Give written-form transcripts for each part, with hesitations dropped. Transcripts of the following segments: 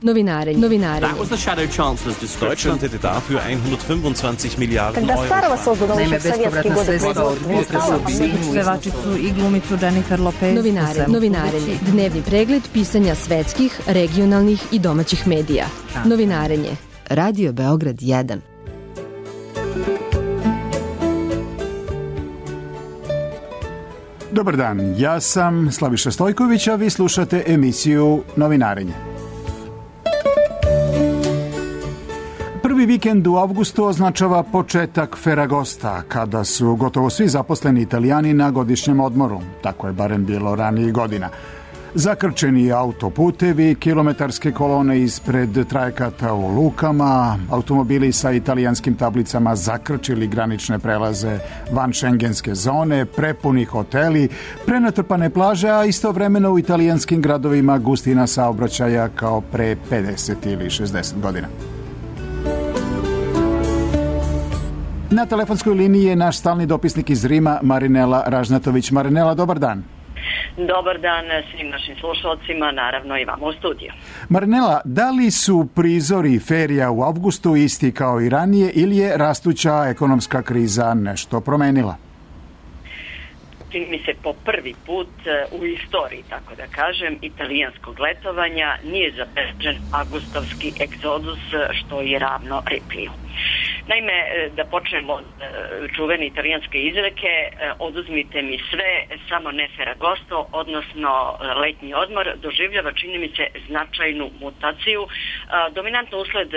Novinarenje. Deutschland hätte dafür 125 Milijarden Когда старого создан Naime, еще в советские bespovratna годы sredstva od производства, pevačicu i glumicu Jennifer Lopez. Novinarenje. Dnevni pregled pisanja svetskih, regionalnih i domaćih medija. Novinarenje. Radio Beograd 1. Dobar dan, ja sam Slaviša Stojković, a vi slušate emisiju Novinarenje. Prvi vikend u avgustu označava početak Ferragosta, kada su gotovo svi zaposleni Italijani na godišnjem odmoru. Tako je barem bilo ranijih godina. Zakrčeni autoputevi, kilometarske kolone ispred trajekata u lukama, automobili sa italijanskim tablicama zakrčili granične prelaze van šengenske zone, prepuni hoteli, prenatrpane plaže, a istovremeno u italijanskim gradovima gustina saobraćaja kao pre 50 ili 60 godina. Na telefonskoj liniji je naš stalni dopisnik iz Rima, Marinela Ražnatović. Marinela, dobar dan. Dobar dan svim našim slušalcima, naravno i vama u studiju. Marinela, da li su prizori ferija u avgustu isti kao i ranije ili je rastuća ekonomska kriza nešto promenila? Čini mi se po prvi put u istoriji, tako da kažem, italijanskog letovanja nije zabeležen avgustovski egzodus, što je ravno Ripliju. Naime, da počnemo od čuvene italijanske izreke, oduzmite mi sve, samo ne Ferragosto, odnosno letnji odmor, doživljava, čini mi se, značajnu mutaciju, dominantno usled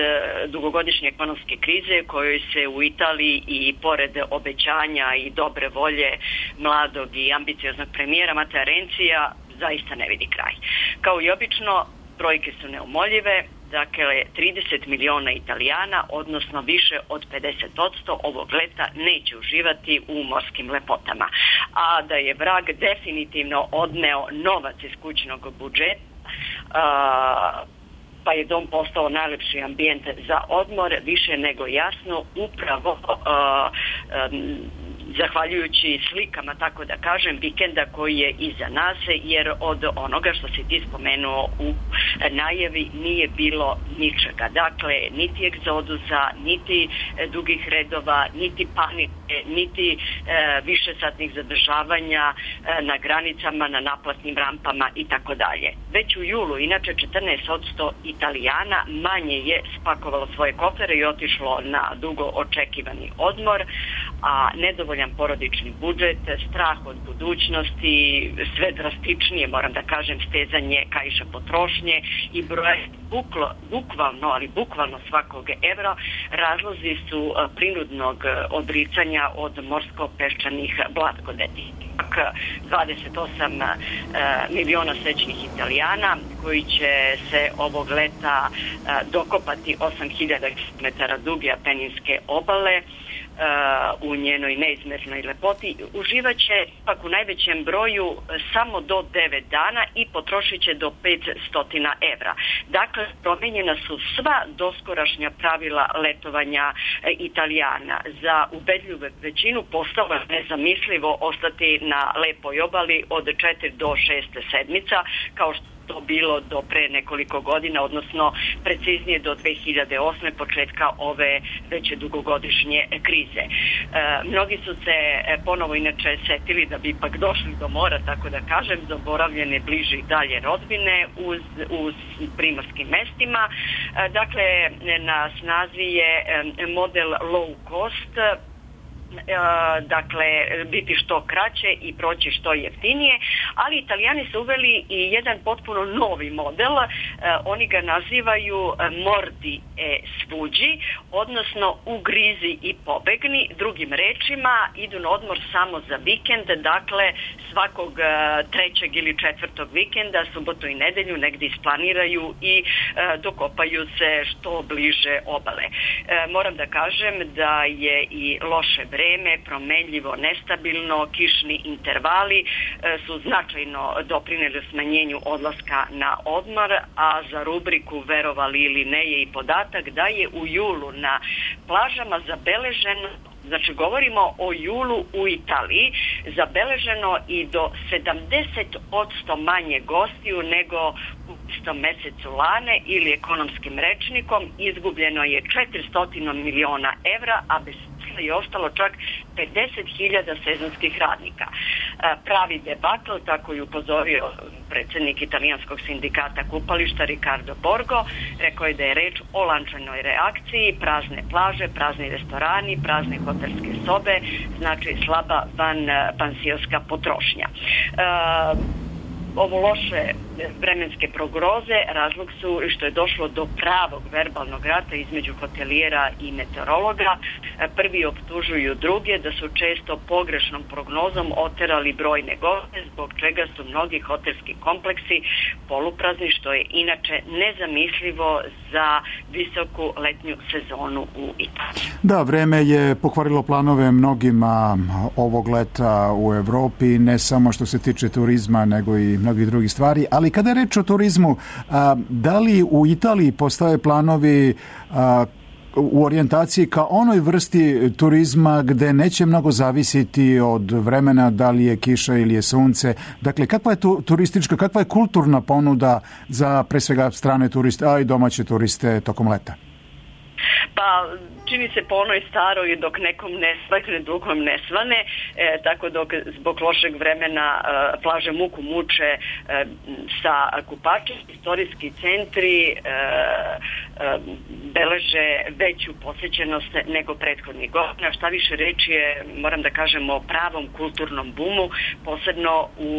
dugogodišnje ekonomske krize kojoj se u Italiji i pored obećanja i dobre volje mladog i ambicioznog premijera Matea Renzija zaista ne vidi kraj. Kao i obično, brojke su neumoljive. Dakle, 30 miliona Italijana, odnosno više od 50% ovog leta neće uživati u morskim lepotama. A da je vrag definitivno odneo novac iz kućnog budžeta, pa je dom postao najlepši ambijent za odmor, više nego jasno, upravo zahvaljujući slikama, tako da kažem, vikenda koji je iza nas, jer od onoga što si ti spomenuo u najavi nije bilo ničega. Dakle, niti egzodusa, niti dugih redova, niti panike, niti višesatnih zadržavanja na granicama, na naplatnim rampama i tako dalje. Već u julu, inače 14% Italijana manje je spakovalo svoje kofere i otišlo na dugo očekivani odmor, a nedovoljan porodični budžet, strah od budućnosti, sve drastičnije, moram da kažem, stezanje kaiša potrošnje i broj bukvalno svakog evra, razlozi su prinudnog odricanja od morsko-peščanih blatkodeti. 28 miliona srećnih Italijana koji će se ovog leta dokopati 8000 km duge Apeninske obale u njenoj neizmjernoj lepoti, uživaće ipak u najvećem broju samo do 9 dana i potrošit će do 500 evra. Dakle, promenjena su sva doskorašnja pravila letovanja Italijana. Za ubedljivu većinu postalo je nezamislivo ostati na lepoj obali od 4 do 6 sedmica, kao što to bilo do pre nekoliko godina, odnosno preciznije do 2008. početka ove već dugogodišnje krize. Mnogi su se ponovo inače setili da bi ipak došli do mora, tako da kažem, zaboravljene bliže i dalje rodbine uz primorskim mestima. Dakle, na snazi je model low cost, dakle biti što kraće i proći što jeftinije, ali Italijani su uveli i jedan potpuno novi model, oni ga nazivaju mordi e sfuđi, odnosno ugrizi i pobegni, drugim rečima idu na odmor samo za vikend, dakle svakog trećeg ili četvrtog vikenda, subotu i nedelju negdje isplaniraju i dokopaju se što bliže obale. Moram da kažem da je i loše vreme, promenljivo, nestabilno, kišni intervali su značajno doprineli smanjenju odlaska na odmor, a za rubriku verovali ili ne je i podatak da je u julu na plažama zabeleženo znači govorimo o julu u Italiji, zabeleženo i do 70% manje gostiju nego u istom mesecu lane ili ekonomskim rečnikom. Izgubljeno je 400 miliona evra, a bez je ostalo čak 50.000 sezonskih radnika. Pravi debakl, tako je upozorio predsjednik italijanskog sindikata kupališta Riccardo Borgo, rekao je da je reč o lančanoj reakciji, prazne plaže, prazni restorani, prazne hotelske sobe, znači slaba pansionska potrošnja. Ovo loše vremenske prognoze razlog su što je došlo do pravog verbalnog rata između hotelijera i meteorologa. Prvi optužuju druge da su često pogrešnom prognozom oterali brojne goste, zbog čega su mnogi hotelski kompleksi poluprazni, što je inače nezamislivo za visoku letnju sezonu u Italiji. Da, vreme je pokvarilo planove mnogima ovog leta u Evropi, ne samo što se tiče turizma, nego i mnogih drugih stvari. Ali kada je reč o turizmu, da li u Italiji postoje planovi u orijentaciji ka onoj vrsti turizma gde neće mnogo zavisiti od vremena, da li je kiša ili je sunce? Dakle, kakva je turistička, kakva je kulturna ponuda za pre svega strane turiste, a i domaće turiste tokom leta? Pa čini se po onoj staroj, dok nekom ne svakne, drugom ne svane, tako dok zbog lošeg vremena plaže muku muče sa kupačem, istorijski centri beleže veću posjećenost nego prethodnih godina. Šta više reći je, moram da kažem, o pravom kulturnom bumu, posebno u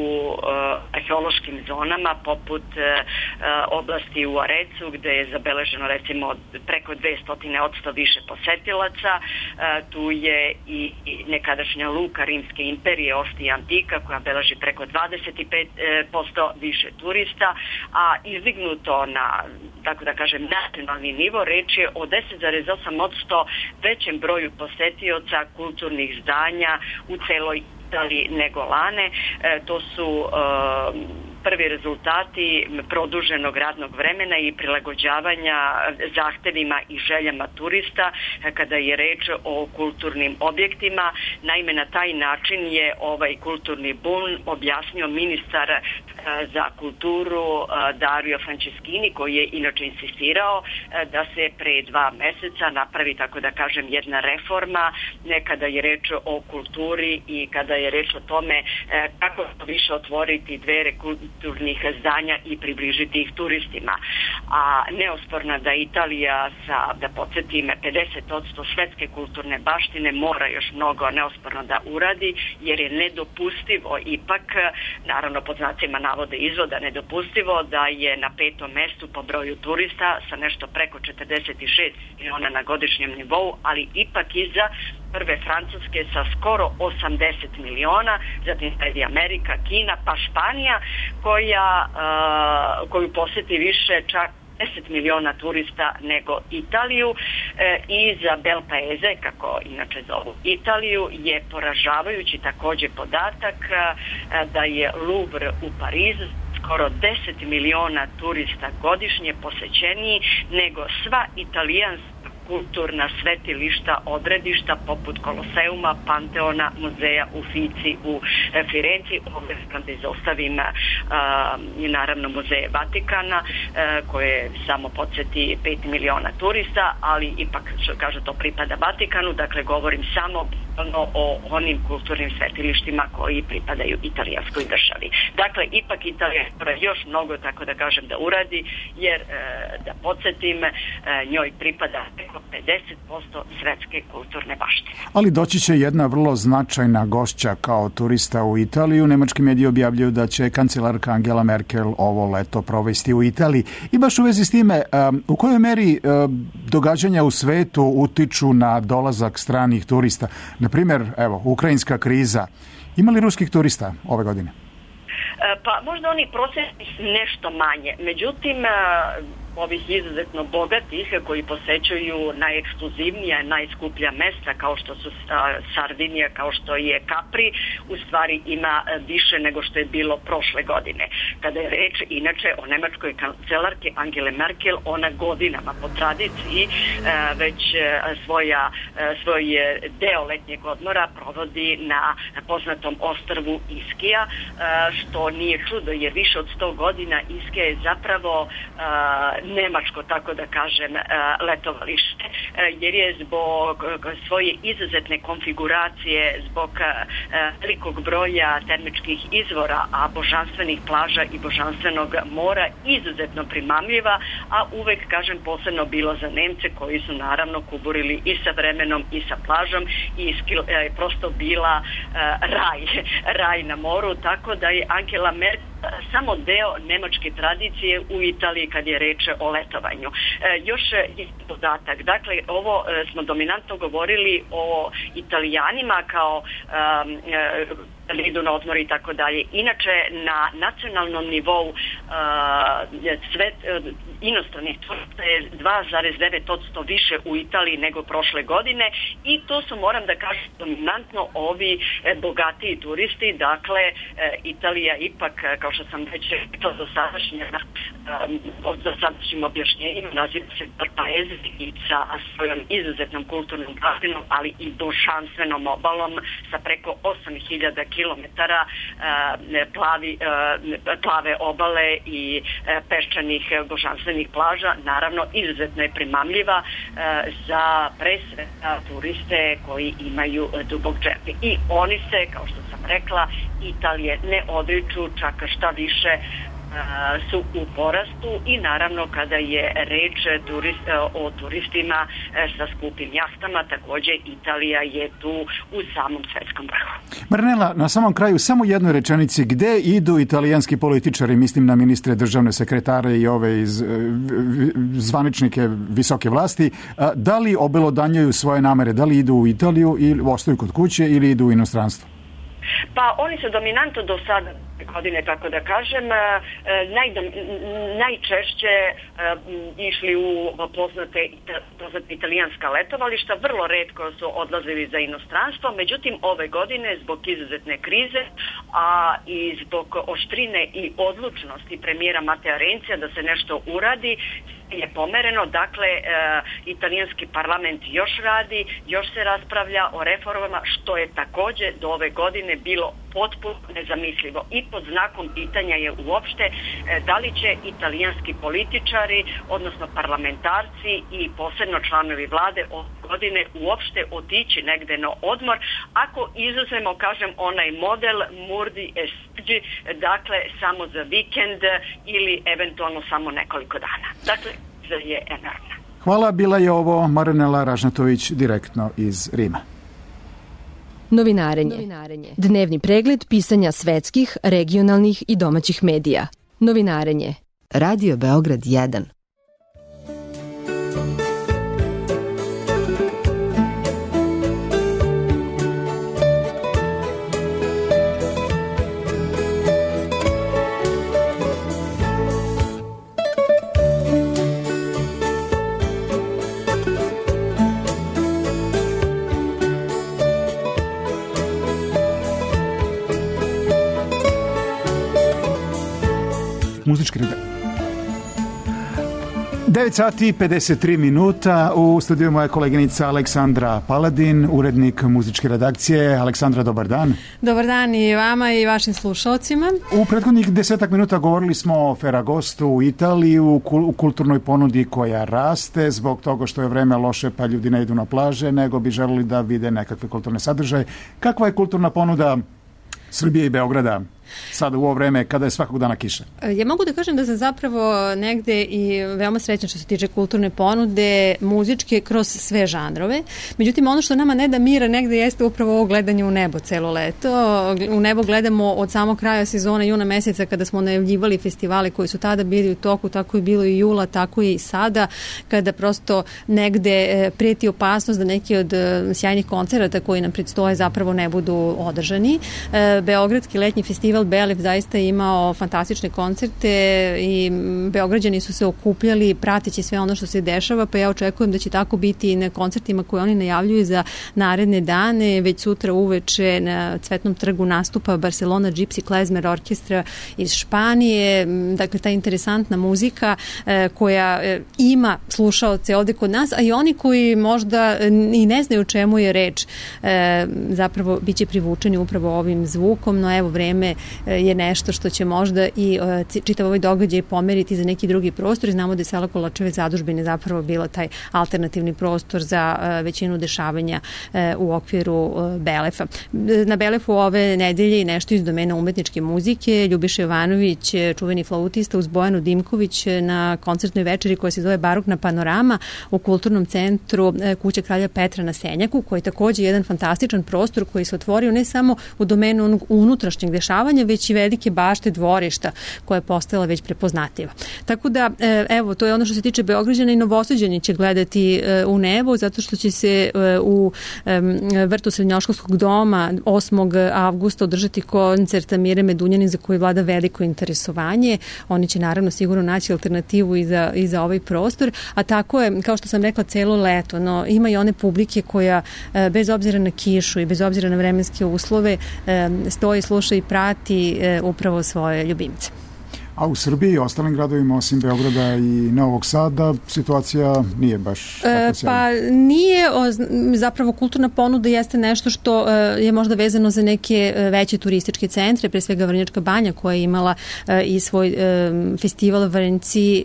arheološkim zonama poput oblasti u Arecu, gde je zabeleženo recimo preko 200% više posetilaca. Tu je i nekadašnja luka Rimske imperije Ostija Antika koja beleži preko 25% više turista, a izdignuto na, tako da kažem, nacionalni nivo, reč je o 10,8% većem broju posetioca kulturnih zdanja u celoj Italiji nego lane. To su prvi rezultati produženog radnog vremena i prilagođavanja zahtevima i željama turista kada je reč o kulturnim objektima. Naime, na taj način je ovaj kulturni bum objasnio ministar za kulturu Dario Franceschini, koji je inače insistirao da se pre 2 meseca napravi, tako da kažem, jedna reforma kada je reč o kulturi i kada je reč o tome kako više otvoriti dvere kulturnih zdanja i približiti ih turistima. A neosporno da Italija sa, da podsjetim, 50% svetske kulturne baštine mora još mnogo neosporno da uradi, jer je nedopustivo ipak, naravno pod znacima navode izvoda, nedopustivo da je na 5. mestu po broju turista sa nešto preko 46 miliona na godišnjem nivou, ali ipak iza prve Francuske sa skoro 80 miliona, zatim sledi Amerika, Kina, pa Španija koju posjeti više čak 10 miliona turista nego Italiju. I za Bel Paese, kako inače zovu Italiju, je poražavajući također podatak da je Louvre u Parizu skoro 10 miliona turista godišnje posećeniji nego sva italijanska kulturna svetilišta, odredišta poput Koloseuma, Panteona, muzeja u Fici, u Firenci, ovdje da izostavim i naravno muzeje Vatikana koje samo podsjeti 5 miliona turista, ali ipak što kažu to pripada Vatikanu, dakle govorim samo o onim kulturnim svetilištima koji pripadaju italijanskoj državi. Dakle, ipak Italija još mnogo, tako da kažem, da uradi, jer da podsjetim, njoj pripada preko 50% svetske kulturne baštine. Ali doći će jedna vrlo značajna gošća kao turista u Italiju. Nemački mediji objavljuju da će kancelarka Angela Merkel ovo leto provesti u Italiji. I baš u vezi s time, u kojoj meri događanja u svetu utiču na dolazak stranih turista? Na primjer, evo, ukrajinska kriza. Ima li ruskih turista ove godine? Pa možda oni prosječni nešto manje. Međutim, ovih izuzetno bogatih koji posećuju najekskluzivnija, najskuplja mesta kao što su Sardinija, kao što je Capri, u stvari ima više nego što je bilo prošle godine. Kada je reč inače o nemačkoj kancelarki Angele Merkel, ona godinama po tradiciji već svoj deo letnjeg odmora provodi na poznatom ostrvu Iskija, što nije čudo jer više od 100 godina Iskija je zapravo nemačko, tako da kažem, letovalište, jer je zbog svoje izuzetne konfiguracije, zbog velikog broja termičkih izvora, a božanstvenih plaža i božanstvenog mora izuzetno primamljiva, a uvek, kažem, posebno bilo za Nemce koji su naravno kuburili i sa vremenom i sa plažom i prosto bila raj na moru, tako da je Angela Merkel samo deo nemačke tradicije u Italiji kad je reč o letovanju. Još je dodatak. Dakle, ovo smo dominantno govorili o Italijanima kao idu na odmor i tako dalje. Inače, na nacionalnom nivou inostranih turista je 2,9% više u Italiji nego prošle godine i to su, moram da kažem, dominantno ovi bogatiji turisti. Dakle, Italija ipak, kao što sam već rekla, dosadašnjim objašnjenjima naziva se Paese i sa svojom izuzetnom kulturnom baštinom, ali i božanstvenom obalom sa preko 8000 kilometara plave obale i peščanih božanstvenih plaža. Naravno, izuzetno je primamljiva za pre svega turiste koji imaju dubok džep. I oni se, kao što sam rekla, Italije ne odriču, čak šta više su u porastu i naravno kada je reč o turistima sa skupim jahtama, također Italija je tu u samom svetskom vrhu. Marinela, na samom kraju samo jednoj rečenici, gde idu italijanski političari, mislim na ministre, državne sekretare i ove zvaničnike visoke vlasti, da li obelodanjuju svoje namere, da li idu u Italiju ili ostaju kod kuće ili idu u inostranstvo? Pa oni su dominantno do sada godine, tako da kažem, najčešće išli u poznate italijanska letovališta, vrlo retko su odlazili za inostranstvo, međutim ove godine zbog izuzetne krize, a i zbog oštrine i odlučnosti premijera Matea Renzija da se nešto uradi, je pomereno. Dakle, italijanski parlament još radi, još se raspravlja o reformama, što je također do ove godine bilo potpuno nezamislivo. I pod znakom pitanja je uopšte da li će italijanski političari, odnosno parlamentarci i posebno članovi vlade ove godine uopšte otići negde na odmor, ako izuzmemo, kažem, onaj model Murdi e Stiggi, dakle samo za vikend ili eventualno samo nekoliko dana. Dakle, je enormna. Hvala, bila je ovo Marinela Ražnatović direktno iz Rima. Novinarenje. Dnevni pregled pisanja svetskih, regionalnih i domaćih medija. Novinarenje. Radio Beograd 1. Muzički redakcija. 9 sati i 53 minuta. U studiju moja koleginica Aleksandra Paladin, urednik muzičke redakcije. Aleksandra, dobar dan. Dobar dan i vama i vašim slušalcima. U prethodnih 10 minuta govorili smo o Ferragostu u Italiji, u kulturnoj ponudi koja raste zbog toga što je vreme loše pa ljudi ne idu na plaže, nego bi želeli da vide nekakve kulturne sadržaje. Kakva je kulturna ponuda Srbije i Beograda sada u ovo vreme kada je svakog dana kiša? Ja mogu da kažem da sam zapravo negde i veoma srećna što se tiče kulturne ponude, muzičke, kroz sve žanrove. Međutim, ono što nama ne da mira negde jeste upravo ovo gledanje u nebo celo leto. U nebo gledamo od samog kraja sezona juna meseca kada smo najavljivali festivale koji su tada bili u toku, tako je bilo i jula, tako je i sada, kada prosto negde prijeti opasnost da neki od sjajnih koncerata koji nam predstoje zapravo ne budu održani. Beogradski letnji festival festival Belef zaista imao fantastične koncerte i Beograđani su se okupljali prateći sve ono što se dešava, pa ja očekujem da će tako biti i na koncertima koje oni najavljuju za naredne dane. Već sutra uveče na Cvetnom trgu nastupa Barcelona Gypsy Klezmer orkestra iz Španije. Dakle, ta interesantna muzika koja ima slušaoce ovde kod nas, a i oni koji možda i ne znaju o čemu je reč, zapravo biće privučeni upravo ovim zvukom, no evo, vreme je nešto što će možda i čitav ovaj događaj pomeriti za neki drugi prostor i znamo da je sela Kolačeve zadužbine zapravo bila taj alternativni prostor za većinu dešavanja u okviru Belefa. Na Belefu ove nedelje i nešto iz domena umetničke muzike, Ljubiša Jovanović, čuveni flautista, uz Bojanu Dimković na koncertnoj večeri koja se zove Barokna panorama u kulturnom centru Kuća kralja Petra na Senjaku, koji je takođe jedan fantastičan prostor koji se otvorio ne samo u domenu onog unutrašnjeg dešavanja, već i velike bašte dvorišta koja je postala već prepoznatljiva. Tako da, evo, to je ono što se tiče Beograđana i Novosađani će gledati u nebo, zato što će se u vrtu Srednjoškolskog doma 8. avgusta održati koncert Mire Medunjanin za koji vlada veliko interesovanje. Oni će naravno sigurno naći alternativu i za ovaj prostor, a tako je, kao što sam rekla, celo leto, no ima i one publike koja bez obzira na kišu i bez obzira na vremenske uslove stoji, sluša i prati upravo svoje ljubimce. A u Srbiji i ostalim gradovima osim Beograda i Novog Sada situacija nije baš tako sjajna. Pa nije, zapravo kulturna ponuda jeste nešto što je možda vezano za neke veće turističke centre, pre svega Vrnjačka banja koja je imala i svoj festival Vrnjci,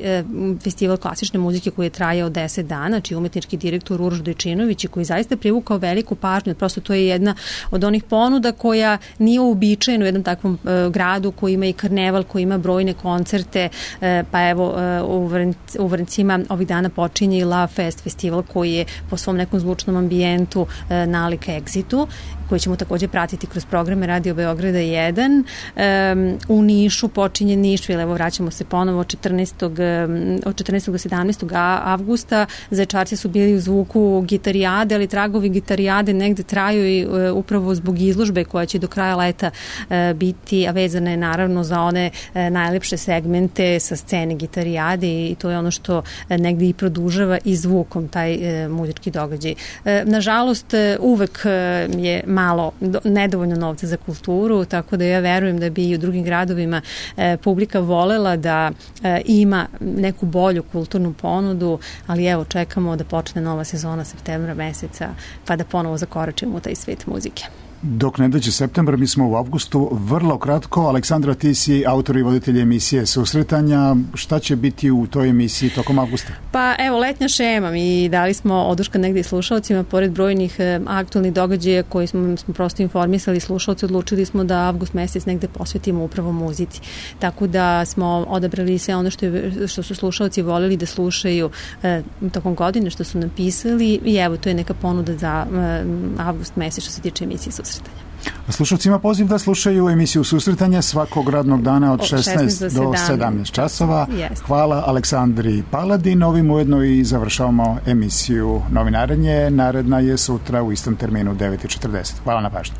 festival klasične muzike koji je trajao 10 dana, čiji umetnički direktor Uroš Dojčinović i koji zaista privukao veliku pažnju. Prosto to je jedna od onih ponuda koja nije uobičajena u jednom takvom gradu koji ima i karneval, koji ima brojne koncerte, pa evo u Vrnjcima ovih dana počinje i La Fest festival koji je po svom nekom zvučnom ambijentu nalik Exitu, koji ćemo takođe pratiti kroz programe Radio Beograda 1. U Nišu počinje Nišvil, evo vraćamo se ponovo od 14. do 17. avgusta. Zaječarci su bili u zvuku gitarijade, ali tragovi gitarijade negde traju i upravo zbog izložbe koja će do kraja leta biti, a vezana je naravno za one najlepše segmente sa scene gitarijade i to je ono što negde i produžava i zvukom taj muzički događaj. Nažalost, uvek je malo, nedovoljno novca za kulturu, tako da ja verujem da bi i u drugim gradovima publika volela da ima neku bolju kulturnu ponudu, ali evo, čekamo da počne nova sezona septembra meseca, pa da ponovo zakoračimo u taj svet muzike. Dok ne dođe septembar, mi smo u avgustu. Vrlo kratko, Aleksandra, ti si autor i voditelj emisije Susretanja. Šta će biti u toj emisiji tokom avgusta? Pa evo, letnja šema. Mi dali smo oduška negde i slušalcima, pored brojnih aktualnih događaja koji smo prosto informisali slušalci, odlučili smo da avgust mesec negde posvetimo upravo muzici. Tako da smo odabrali sve ono što su slušalci voleli da slušaju tokom godine, što su napisali i evo, to je neka ponuda za avgust mesec što se tiče emisije Susretanja. A slušalcima poziv da slušaju emisiju Susretanja svakog radnog dana od 16 do 17 časova. Yes. Hvala Aleksandri Paladin. Ovim ujedno i završavamo emisiju Novinarenje. Naredna je sutra u istom terminu 9:40. Hvala na pažnju.